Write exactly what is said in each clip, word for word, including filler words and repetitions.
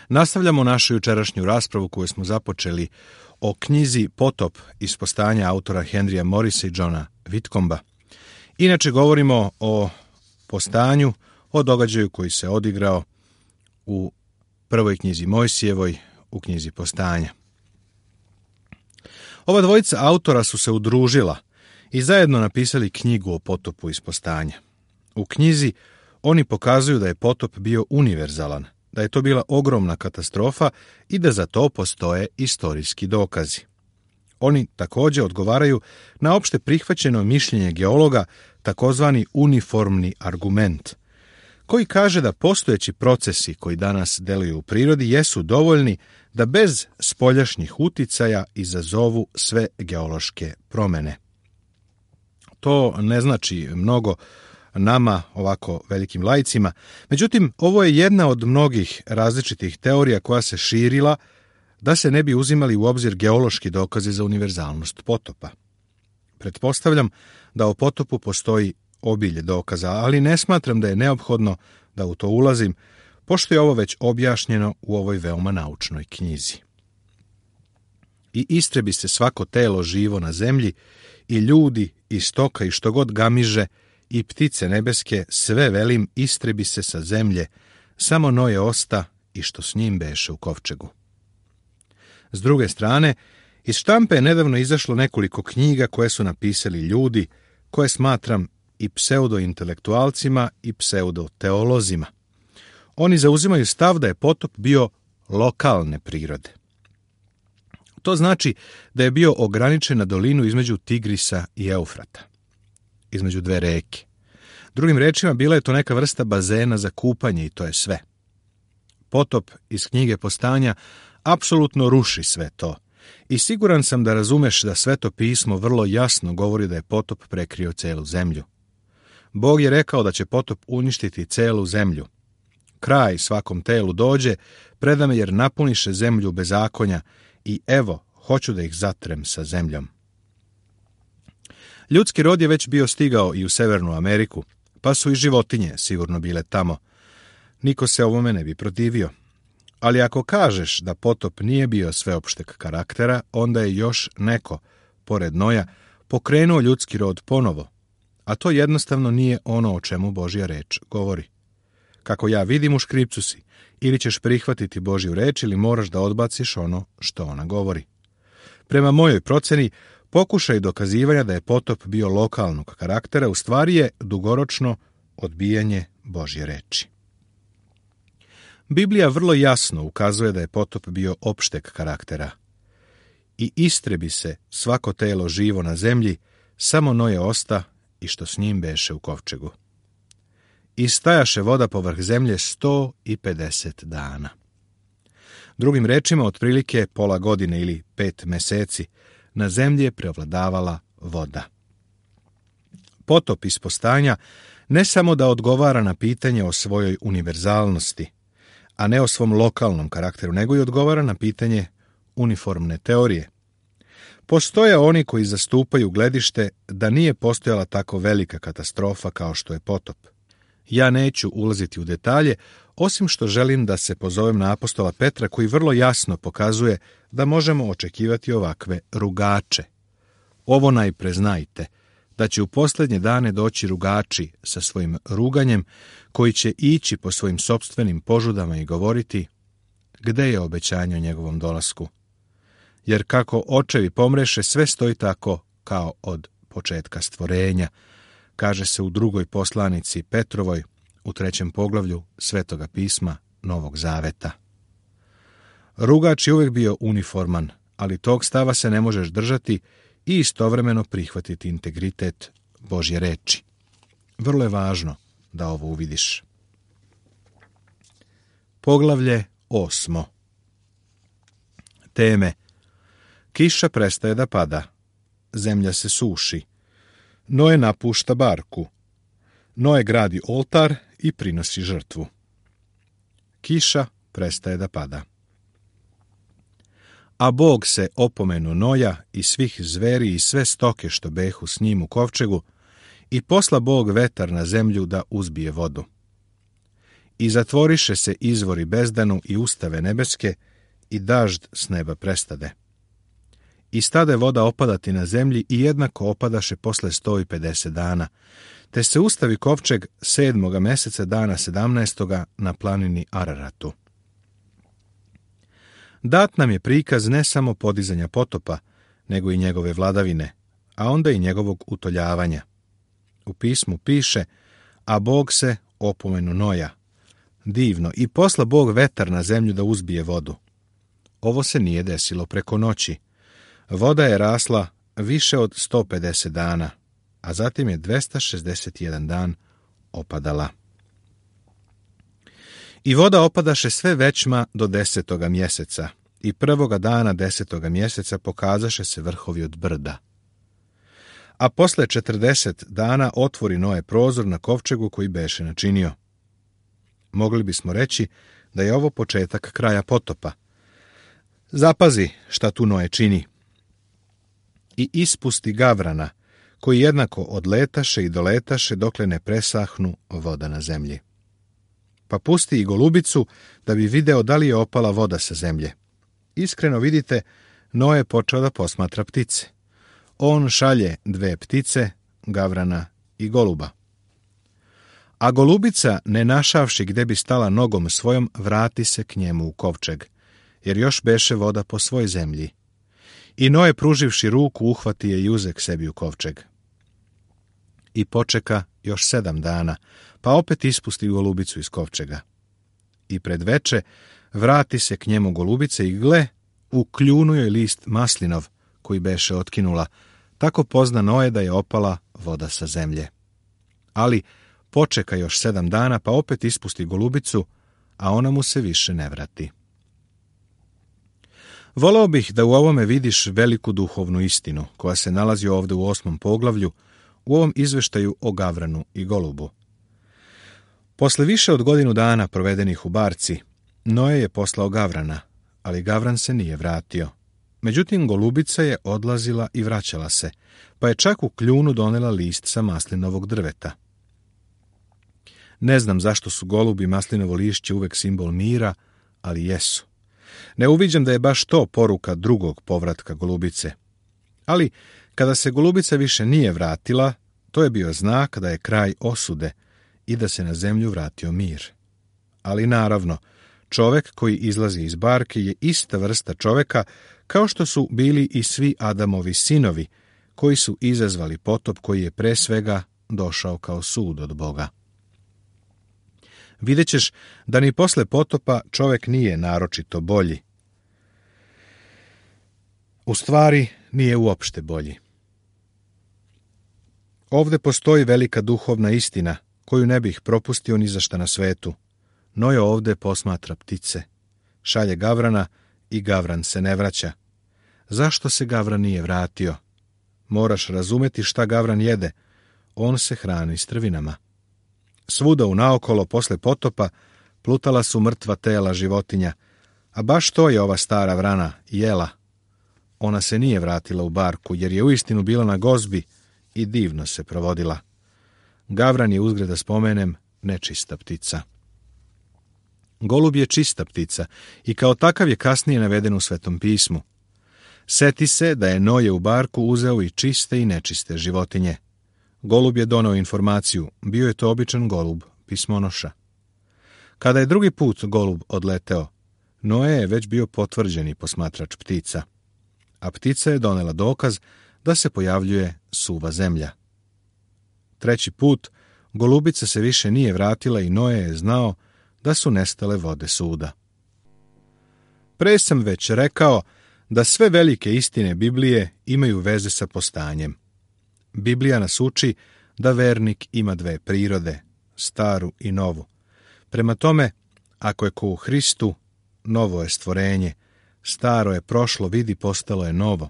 Nastavljamo našu jučerašnju raspravu koju smo započeli o knjizi Potop iz postanja autora Henrya Morrisa i Johna Whitcomba. Inače govorimo o postanju, o događaju koji se odigrao u prvoj knjizi Mojsijevoj, u knjizi Postanja. Ova dvojica autora su se udružila i zajedno napisali knjigu o potopu iz postanja. U knjizi oni pokazuju da je potop bio univerzalan, da je to bila ogromna katastrofa i da za to postoje istorijski dokazi. Oni također odgovaraju na opšte prihvaćeno mišljenje geologa, takozvani uniformni argument, koji kaže da postojeći procesi koji danas deluju u prirodi jesu dovoljni da bez spoljašnjih uticaja izazovu sve geološke promjene. To ne znači mnogo nama, ovako velikim laicima, međutim, ovo je jedna od mnogih različitih teorija koja se širila da se ne bi uzimali u obzir geološki dokazi za univerzalnost potopa. Pretpostavljam da o potopu postoji obilje dokaza, ali ne smatram da je neophodno da u to ulazim, pošto je ovo već objašnjeno u ovoj veoma naučnoj knjizi. I istrebi se svako telo živo na zemlji, i ljudi, i stoka, i što god gamiže, i ptice nebeske, sve velim, istrebi se sa zemlje, samo Noje osta i što s njim beše u kovčegu. S druge strane, iz štampe je nedavno izašlo nekoliko knjiga koje su napisali ljudi, koje smatram i pseudointelektualcima i pseudoteolozima. Oni zauzimaju stav da je potop bio lokalne prirode. To znači da je bio ograničen na dolinu između Tigrisa i Eufrata, između dve reke. Drugim rečima, bila je to neka vrsta bazena za kupanje i to je sve. Potop iz knjige Postanja apsolutno ruši sve to. I siguran sam da razumeš da Sveto pismo vrlo jasno govori da je potop prekrio celu zemlju. Bog je rekao da će potop uništiti celu zemlju. Kraj svakom telu dođe, preda me jer napuniše zemlju bezakonja i evo, hoću da ih zatrem sa zemljom. Ljudski rod je već bio stigao i u Severnu Ameriku, pa su i životinje sigurno bile tamo. Niko se ovome ne bi protivio. Ali ako kažeš da potop nije bio sveopšteg karaktera, onda je još neko, pored Noja, pokrenuo ljudski rod ponovo, a to jednostavno nije ono o čemu Božja reč govori. Kako ja vidim, u škripcu si, ili ćeš prihvatiti Božju reč ili moraš da odbaciš ono što ona govori. Prema mojoj proceni, pokušaj dokazivanja da je potop bio lokalnog karaktera u stvari je dugoročno odbijanje Božje reči. Biblija vrlo jasno ukazuje da je potop bio opšteg karaktera. I istrebi se svako telo živo na zemlji, samo Noje osta i što s njim beše u kovčegu. I stajaše voda povrh zemlje sto i pedeset dana. Drugim rečima, otprilike pola godine ili pet meseci, na zemlji je preovladavala voda. Potop iz Postanja ne samo da odgovara na pitanje o svojoj univerzalnosti, a ne o svom lokalnom karakteru, nego i odgovara na pitanje uniformne teorije. Postoje oni koji zastupaju gledište da nije postojala tako velika katastrofa kao što je potop. Ja neću ulaziti u detalje, osim što želim da se pozovem na apostola Petra, koji vrlo jasno pokazuje da možemo očekivati ovakve rugače. Ovo najpre znajte, da će u posljednje dane doći rugači sa svojim ruganjem, koji će ići po svojim sopstvenim požudama i govoriti: gde je obećanje o njegovom dolasku? Jer kako očevi pomreše, sve stoji tako kao od početka stvorenja, kaže se u drugoj poslanici Petrovoj, u trećem poglavlju Svetoga pisma Novog Zaveta. Rugač je uvijek bio uniforman, ali tog stava se ne možeš držati i istovremeno prihvatiti integritet Božje reči. Vrlo je važno da ovo uvidiš. Poglavlje osmo. Teme: kiša prestaje da pada, zemlja se suši, Noe napušta barku, Noe gradi oltar i prinosi žrtvu. Kiša prestaje da pada. A Bog se opomenu Noja i svih zveri i sve stoke što behu s njim u kovčegu, i posla Bog vetar na zemlju da uzbije vodu. i zatvoriše se izvori bezdanu i ustave nebeske, i dažd s neba prestade. I stade voda opadati na zemlji i jednako opadaše posle sto i pedeset dana, te se ustavi kovčeg sedmoga meseca dana sedamnaestoga na planini Araratu. Dat nam je prikaz ne samo podizanja potopa, nego i njegove vladavine, a onda i njegovog utoljavanja. U pismu piše, a Bog se opomenu Noja. Divno, i posla Bog vetar na zemlju da uzbije vodu. Ovo se nije desilo preko noći. Voda je rasla više od sto pedeset dana, a zatim je dvesta šezdeset jedan dan opadala. I voda opadaše sve većma do desetoga mjeseca, i prvoga dana desetoga mjeseca pokazaše se vrhovi od brda. A posle četrdeset dana otvori Noe prozor na kovčegu koji beše načinio. Mogli bismo reći da je ovo početak kraja potopa. Zapazi šta tu Noe čini. I ispusti gavrana, koji jednako odletaše i doletaše dokle ne presahnu voda na zemlji. Pa pusti i golubicu da bi video da li je opala voda sa zemlje. Iskreno vidite, Noe počeo da posmatra ptice. On šalje dve ptice, gavrana i goluba. A golubica, ne našavši gde bi stala nogom svojom, vrati se k njemu u kovčeg, jer još beše voda po svoj zemlji. I Noe, pruživši ruku, uhvati je i uze k sebi u kovčeg. I počeka još sedam dana, pa opet ispusti golubicu iz kovčega. I pred veče vrati se k njemu golubice i gle, u kljunu joj list maslinov, koji beše otkinula, tako pozna Noe da je opala voda sa zemlje. Ali počeka još sedam dana, pa opet ispusti golubicu, a ona mu se više ne vrati. Voleo bih da u ovome vidiš veliku duhovnu istinu, koja se nalazi ovde u osmom poglavlju, u ovom izveštaju o gavranu i golubu. Posle više od godinu dana provedenih u barci, Noe je poslao gavrana, ali gavran se nije vratio. Međutim, golubica je odlazila i vraćala se, pa je čak u kljunu donela list sa maslinovog drveta. Ne znam zašto su golub i maslinovo lišće uvek simbol mira, ali jesu. Ne uviđam da je baš to poruka drugog povratka golubice. Ali, kada se golubica više nije vratila, to je bio znak da je kraj osude i da se na zemlju vratio mir. Ali naravno, čovek koji izlazi iz barke je ista vrsta čoveka kao što su bili i svi Adamovi sinovi, koji su izazvali potop koji je pre svega došao kao sud od Boga. Vidjet ćeš da ni posle potopa čovek nije naročito bolji. U stvari, nije uopšte bolji. Ovde postoji velika duhovna istina, koju ne bih propustio ni za šta na svetu. Noe ovde posmatra ptice, šalje gavrana i gavran se ne vraća. Zašto se gavran nije vratio? Moraš razumeti šta gavran jede. On se hrani strvinama. Svuda unaokolo posle potopa plutala su mrtva tela životinja, a baš to je ova stara vrana jela. Ona se nije vratila u barku, jer je uistinu bila na gozbi i divno se provodila. Gavran je, uzgred da spomenem, nečista ptica. Golub je čista ptica i kao takav je kasnije naveden u Svetom pismu. Seti se da je Noe u barku uzeo i čiste i nečiste životinje. Golub je doneo informaciju, bio je to običan golub, pismonoša. Kada je drugi put golub odleteo, Noe je već bio potvrđeni posmatrač ptica, a ptica je donela dokaz da se pojavljuje suva zemlja. Treći put, golubica se više nije vratila i Noe je znao da su nestale vode suda. Pre sam već rekao da sve velike istine Biblije imaju veze sa postanjem. Biblija nas uči da vernik ima dve prirode, staru i novu. Prema tome, ako je ko u Hristu, novo je stvorenje, staro je prošlo, vidi, postalo je novo.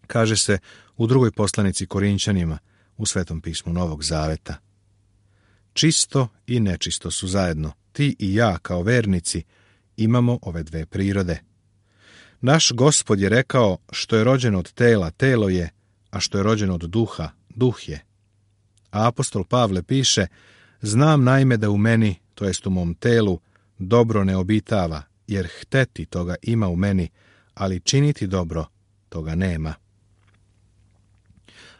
Kaže se u drugoj poslanici Korinćanima, u Svetom pismu Novog Zaveta. Čisto i nečisto su zajedno. Ti i ja, kao vernici, imamo ove dve prirode. Naš Gospod je rekao, što je rođeno od tela, telo je, a što je rođeno od duha, duh je. A apostol Pavle piše, Znam naime da u meni, to jest u mom telu, dobro ne obitava, jer hteti toga ima u meni, ali činiti dobro toga nema.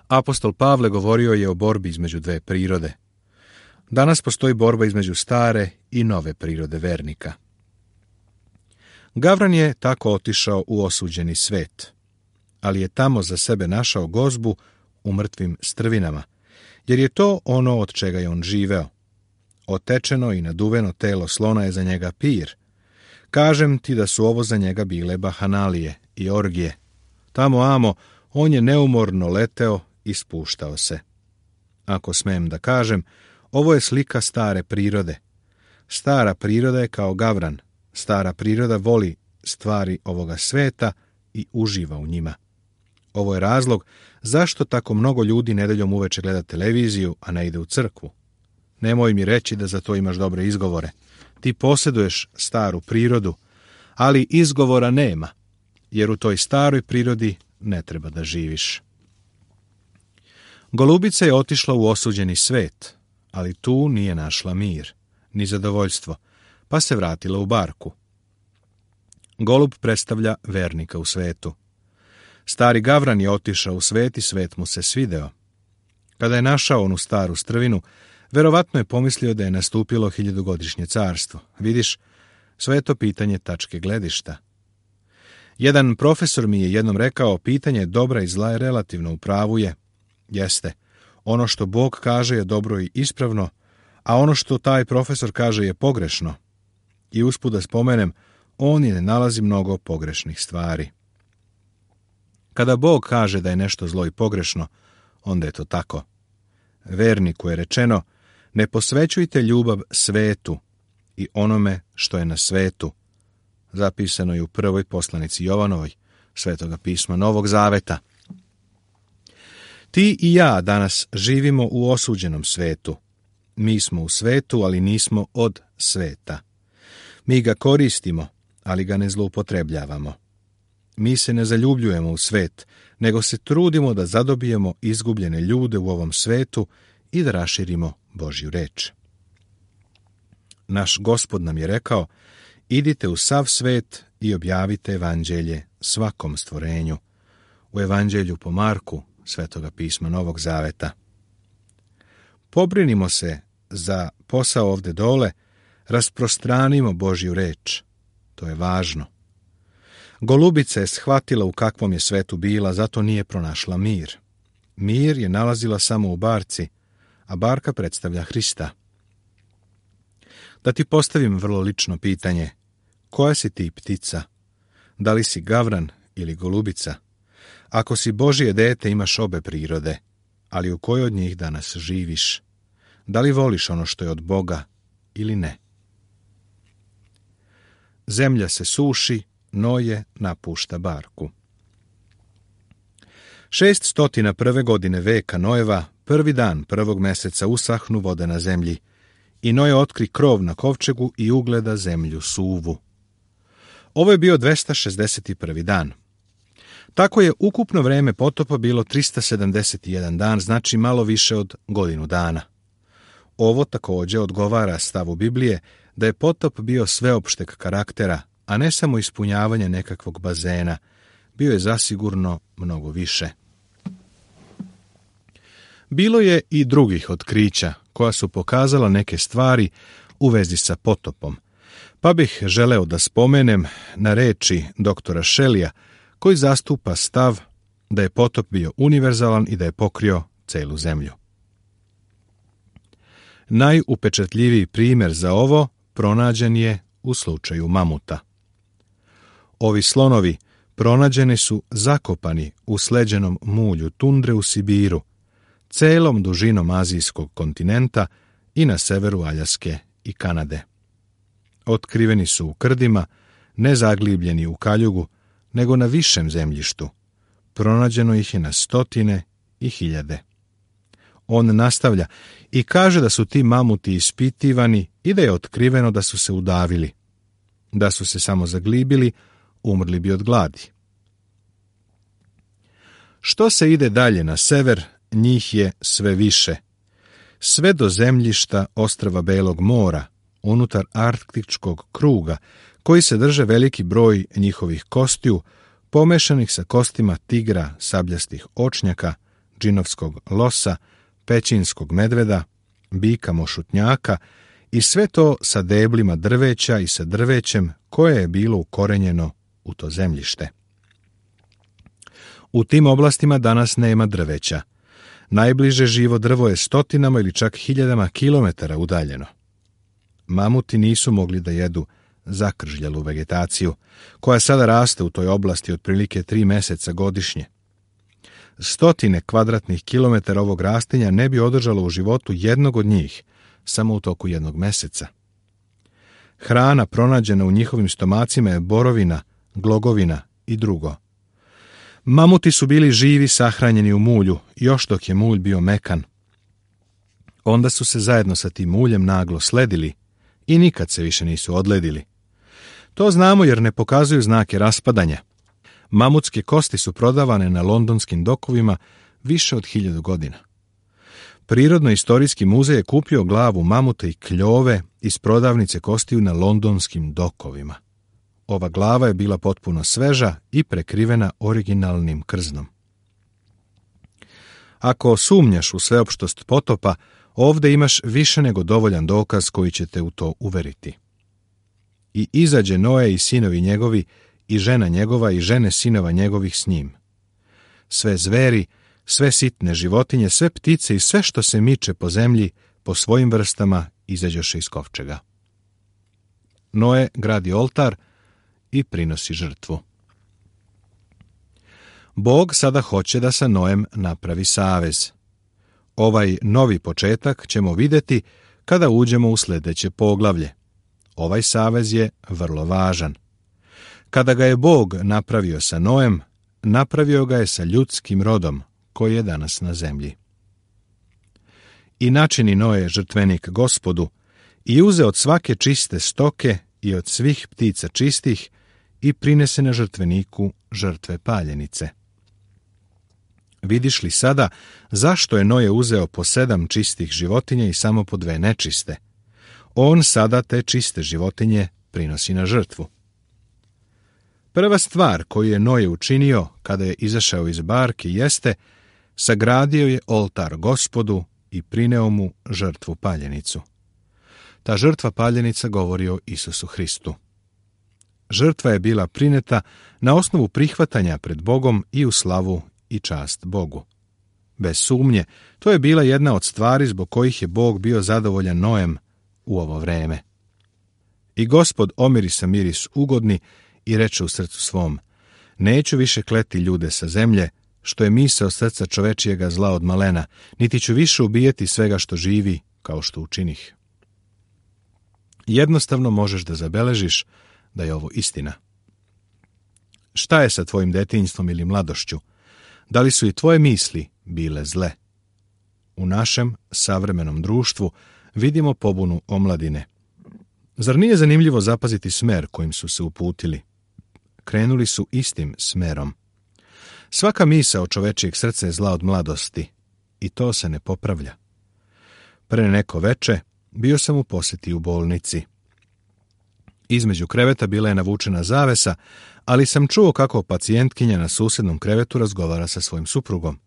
Apostol Pavle govorio je o borbi između dve prirode. Danas postoji borba između stare i nove prirode vernika. Gavran je tako otišao u osuđeni svet, ali je tamo za sebe našao gozbu u mrtvim strvinama, jer je to ono od čega je on živeo. Otečeno i naduveno telo slona je za njega pir. Kažem ti da su ovo za njega bile bahanalije i orgije. Tamo amo on je neumorno leteo i spuštao se. Ako smem da kažem, ovo je slika stare prirode. Stara priroda je kao gavran. Stara priroda voli stvari ovoga sveta i uživa u njima. Ovo je razlog zašto tako mnogo ljudi nedeljom uveče gleda televiziju, a ne ide u crkvu. Nemoj mi reći da za to imaš dobre izgovore. Ti posjeduješ staru prirodu, ali izgovora nema, jer u toj staroj prirodi ne treba da živiš. Golubica je otišla u osuđeni svet, ali tu nije našla mir, ni zadovoljstvo, pa se vratila u barku. Golub predstavlja vernika u svetu. Stari gavran je otišao u svet i svet mu se svideo. Kada je našao onu staru strvinu, verovatno je pomislio da je nastupilo hiljadugodišnje carstvo. Vidiš, sve je to pitanje tačke gledišta. Jedan profesor mi je jednom rekao, pitanje dobra i zla je relativno, u pravu je. Jeste, ono što Bog kaže je dobro i ispravno, a ono što taj profesor kaže je pogrešno. I usput da spomenem, on je ne nalazi mnogo pogrešnih stvari. Kada Bog kaže da je nešto zlo i pogrešno, onda je to tako. Verniku je rečeno, ne posvećujte ljubav svetu i onome što je na svetu. Zapisano je u prvoj poslanici Jovanovoj, Svetoga pisma Novog Zaveta. Ti i ja danas živimo u osuđenom svetu. Mi smo u svetu, ali nismo od sveta. Mi ga koristimo, ali ga ne zloupotrebljavamo. Mi se ne zaljubljujemo u svet, nego se trudimo da zadobijemo izgubljene ljude u ovom svetu i da raširimo Božju reč. Naš Gospod nam je rekao, idite u sav svet i objavite evanđelje svakom stvorenju. U evanđelju po Marku, Svetoga pisma Novog Zaveta. Pobrinimo se za posao ovde dole, rasprostranimo Božju reč. To je važno. Golubica je shvatila u kakvom je svetu bila, zato nije pronašla mir. Mir je nalazila samo u barci, a barka predstavlja Hrista. Da ti postavim vrlo lično pitanje, koja si ti ptica? Da li si gavran ili golubica? Ako si Božje dete, imaš obe prirode, ali u kojoj od njih danas živiš? Da li voliš ono što je od Boga ili ne? Zemlja se suši, Noje napušta barku. Šest stotina prve godine veka Nojeva, prvi dan prvog meseca usahnu vode na zemlji, i Noje otkri krov na kovčegu i ugleda zemlju suvu. Ovo je bio dvesta šezdeset prvi dan. Tako je ukupno vreme potopa bilo trista sedamdeset jedan dan, znači malo više od godinu dana. Ovo također odgovara stavu Biblije da je potop bio sveopšteg karaktera, a ne samo ispunjavanje nekakvog bazena, bio je zasigurno mnogo više. Bilo je i drugih otkrića koja su pokazala neke stvari u vezi sa potopom, pa bih želeo da spomenem na reči doktora Shellija, koji zastupa stav da je potop bio univerzalan i da je pokrio celu zemlju. Najupečatljiviji primjer za ovo pronađen je u slučaju mamuta. Ovi slonovi pronađeni su zakopani u sleđenom mulju tundre u Sibiru, celom dužinom azijskog kontinenta i na severu Aljaske i Kanade. Otkriveni su u krdima, ne zaglibljeni u kaljugu, nego na višem zemljištu. Pronađeno ih je na stotine i hiljade. On nastavlja i kaže da su ti mamuti ispitivani i da je otkriveno da su se udavili. Da su se samo zaglibili, umrli bi od gladi. Što se ide dalje na sever, njih je sve više. sve do zemljišta ostrva Belog mora, unutar arktičkog kruga, koji se drže veliki broj njihovih kostiju, pomešanih sa kostima tigra, sabljastih očnjaka, džinovskog losa, pećinskog medveda, bika mošutnjaka i sve to sa deblima drveća i sa drvećem koje je bilo ukorenjeno u to zemljište. U tim oblastima danas nema drveća. Najbliže živo drvo je stotinama ili čak hiljadama kilometara udaljeno. Mamuti nisu mogli da jedu zakržljalu vegetaciju, koja sada raste u toj oblasti otprilike tri meseca godišnje. Stotine kvadratnih kilometara ovog rastinja ne bi održalo u životu jednog od njih, samo u toku jednog meseca. Hrana pronađena u njihovim stomacima je borovina, glogovina i drugo. Mamuti su bili živi sahranjeni u mulju, još dok je mulj bio mekan. Onda su se zajedno sa tim muljem naglo sledili i nikad se više nisu odledili. To znamo jer ne pokazuju znake raspadanja. Mamutske kosti su prodavane na londonskim dokovima više od hiljadu godina. Prirodno-istorijski muzej je kupio glavu mamuta i kljove iz prodavnice kostiju na londonskim dokovima. Ova glava je bila potpuno sveža i prekrivena originalnim krznom. Ako sumnjaš u sveopštost potopa, ovdje imaš više nego dovoljan dokaz koji će te u to uveriti. I izađe Noe i sinovi njegovi, i žena njegova i žene sinova njegovih s njim. Sve zveri, sve sitne životinje, sve ptice i sve što se miče po zemlji, po svojim vrstama izađoše iz kovčega. Noe gradi oltar i prinosi žrtvu. Bog sada hoće da sa Noem napravi savez. Ovaj novi početak ćemo vidjeti kada uđemo u sljedeće poglavlje. Ovaj savez je vrlo važan. Kada ga je Bog napravio sa Noem, napravio ga je sa ljudskim rodom koji je danas na zemlji. I načini Noe žrtvenik Gospodu i uze od svake čiste stoke i od svih ptica čistih i prinese na žrtveniku žrtve paljenice. Vidiš li sada zašto je Noe uzeo po sedam čistih životinja i samo po dve nečiste? On sada te čiste životinje prinosi na žrtvu. Prva stvar koju je Noe učinio kada je izašao iz barke jeste sagradio je oltar Gospodu i prineo mu žrtvu paljenicu. Ta žrtva paljenica govori o Isusu Hristu. Žrtva je bila prineta na osnovu prihvatanja pred Bogom i u slavu i čast Bogu. Bez sumnje, to je bila jedna od stvari zbog kojih je Bog bio zadovoljan Noem u ovo vreme. I Gospod omirisa miris ugodni i reče u srcu svom: neću više kleti ljude sa zemlje, što je misao srca čovečijega zla od malena, niti ću više ubijeti svega što živi, kao što učinih. Jednostavno možeš da zabeležiš da je ovo istina. Šta je sa tvojim detinjstvom ili mladošću? Da li su i tvoje misli bile zle? U našem savremenom društvu vidimo pobunu omladine. Zar nije zanimljivo zapaziti smer kojim su se uputili? Krenuli su istim smerom. Svaka misao čovečijeg srca je zla od mladosti i to se ne popravlja. Pre neko veče bio sam u posjeti u bolnici. Između kreveta bila je navučena zavesa, ali sam čuo kako pacijentkinja na susjednom krevetu razgovara sa svojim suprugom.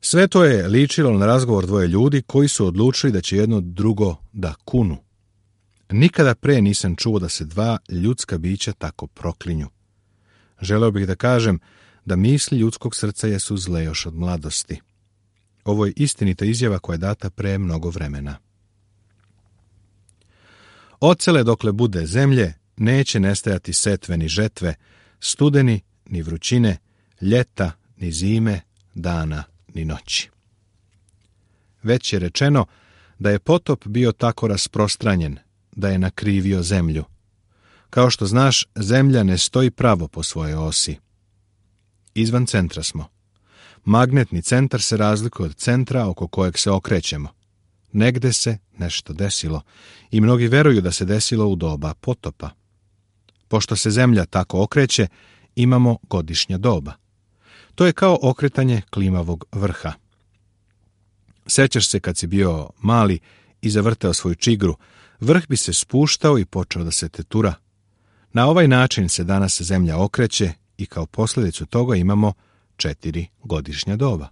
Sve to je ličilo na razgovor dvoje ljudi koji su odlučili da će jedno drugo da kunu. Nikada pre nisam čuo da se dva ljudska bića tako proklinju. Želeo bih da kažem da misli ljudskog srca jesu zle još od mladosti. Ovo je istinita izjava koja je data pre mnogo vremena. Ocele dokle bude zemlje, neće nestajati setve ni žetve, studeni ni vrućine, ljeta ni zime, dana ni noći. Već je rečeno da je potop bio tako rasprostranjen da je nakrivio zemlju. Kao što znaš, zemlja ne stoji pravo po svojoj osi. Izvan centra smo. Magnetni centar se razlikuje od centra oko kojeg se okrećemo. Negde se nešto desilo i mnogi veruju da se desilo u doba potopa. Pošto se zemlja tako okreće, imamo godišnja doba. To je kao okretanje klimavog vrha. Sećaš se kad si bio mali i zavrteo svoju čigru, vrh bi se spuštao i počeo da se tetura. Na ovaj način se danas zemlja okreće i kao posljedicu toga imamo četiri godišnja doba.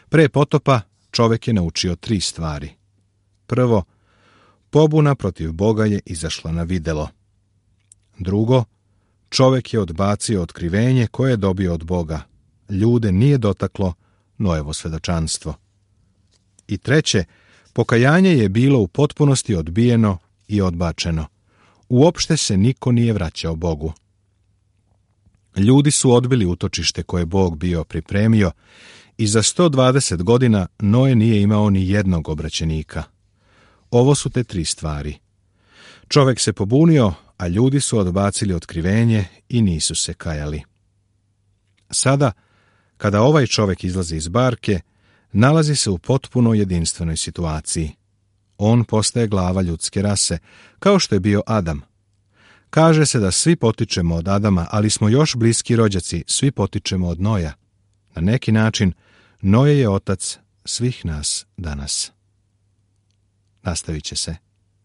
Pre potopa čovjek je naučio tri stvari. Prvo, pobuna protiv Boga je izašla na videlo. Drugo, čovjek je odbacio otkrivenje koje je dobio od Boga. Ljude nije dotaklo Noevo svedočanstvo. I treće, pokajanje je bilo u potpunosti odbijeno i odbačeno. Uopšte se niko nije vraćao Bogu. Ljudi su odbili utočište koje Bog bio pripremio i za sto dvadeset godina Noe nije imao ni jednog obraćenika. Ovo su te tri stvari. Čovjek se pobunio, a ljudi su odbacili otkrivenje i nisu se kajali. Sada, kada ovaj čovjek izlazi iz barke, nalazi se u potpuno jedinstvenoj situaciji. On postaje glava ljudske rase, kao što je bio Adam. Kaže se da svi potičemo od Adama, ali smo još bliski rođaci, svi potičemo od Noja. Na neki način, Noje je otac svih nas danas. Nastavit će se.